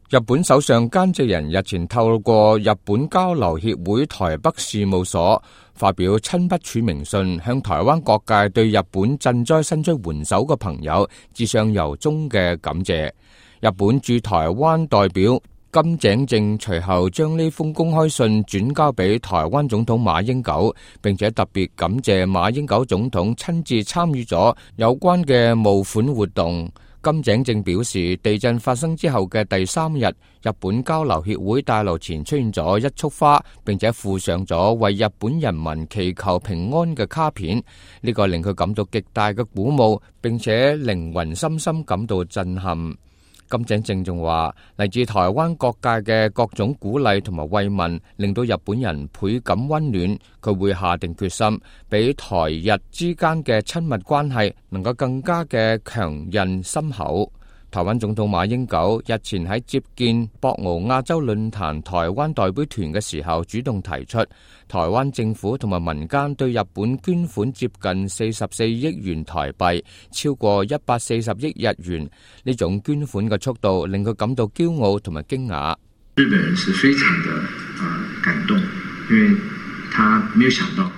日本首相菅直人日前透過日本交流協會台北事務所發表親筆署名信，向台灣各界對日本賑災伸出援手嘅朋友致上由衷嘅感謝。日本駐台灣代表金井正隨後將呢封公開信轉交俾台灣總統馬英九，並且特別感謝馬英九總統親自參與咗有關嘅募款活動。金井正表示，地震發生之後嘅第3日，日本交流協會大樓前出現咗一束花，並且附上咗為日本人民祈求平安嘅卡片。呢個令佢感到極大嘅鼓舞，並且靈魂深深感到震撼。金井正仲話，嚟自台灣各界嘅各種鼓勵同埋慰問，令到日本人倍感溫暖。佢會下定決心，俾台日之間嘅親密關係能夠更加嘅強韌深厚。台灣總統馬英九日前喺接見博鰲亞洲論壇台灣代表團嘅時候，主動提出台灣政府同埋民間對日本捐款接近44億元台幣，超過140億日元。呢種捐款嘅速度令佢感到驕傲同埋驚訝。日本人是非常的感動，因為他沒有想到。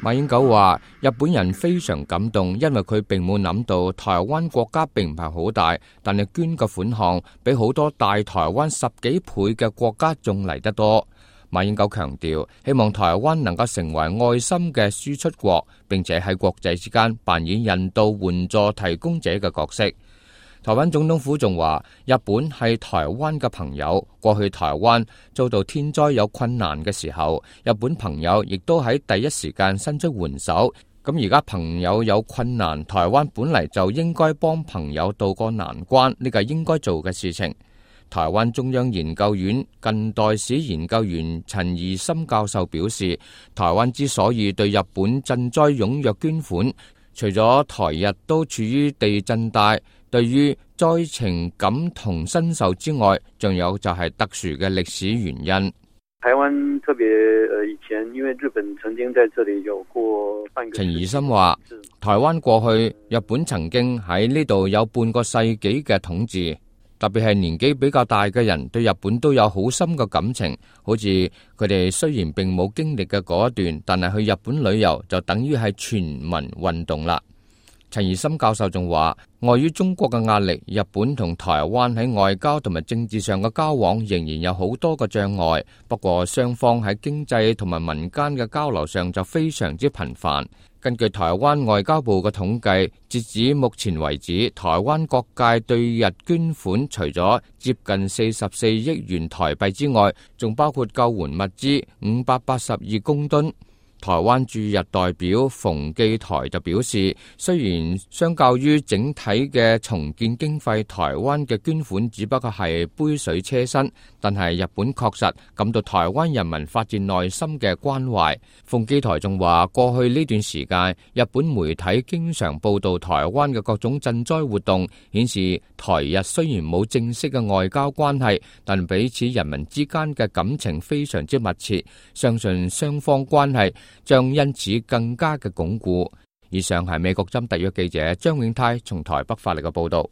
馬英九話：日本人非常感動，因為佢並冇諗到台灣國家並唔係好大，但係捐嘅款項比好多大台灣10幾倍嘅國家仲嚟得多。馬英九強調，希望台灣能夠成為愛心嘅輸出國，並且喺國際之間扮演人道援助提供者嘅角色。台灣總統府仲話，日本係台灣嘅朋友，過去台灣遭到天災有困難嘅時候，日本朋友亦都喺第一時間伸出援手。咁而家朋友有困難，台灣本嚟就應該幫朋友渡過難關，呢個係應該做嘅事情。台灣中央研究院近代史研究員陳怡森教授表示，台灣之所以對日本賑災踴躍捐款，除咗台日都處於地震帶，對於災情感同身受之外，仲有就係特殊嘅歷史原因。台灣特別以前因為日本曾經在這裡有過半個。陳怡森話，台灣過去日本曾經喺呢度有半個世紀嘅統治，特別係年紀比較大嘅人對日本都有好深嘅感情。好似佢哋雖然並冇經歷嘅嗰一段，但係去日本旅遊就等於係全民運動啦。陳怡森教授仲話，礙於中國嘅壓力，日本同台灣喺外交同埋政治上嘅交往仍然有好多個障礙。不過雙方喺經濟同埋民間嘅交流上就非常之頻繁。根據台灣外交部嘅統計，截至目前為止，台灣各界對日捐款除咗接近44億元台幣之外，仲包括救援物資582公噸。台灣駐日代表馮記台就表示，雖然相較於整體嘅重建經費，台灣嘅捐款只不過係杯水車薪，但係日本確實感到台灣人民發自內心嘅關懷。馮記台仲話，過去呢段時間，日本媒體經常報道台灣嘅各種賑災活動，顯示台日雖然冇正式嘅外交關係，但彼此人民之間嘅感情非常之密切，相信雙方關係將因此更加嘅鞏固。以上係美國針特約記者張永泰從台北發嚟嘅報道。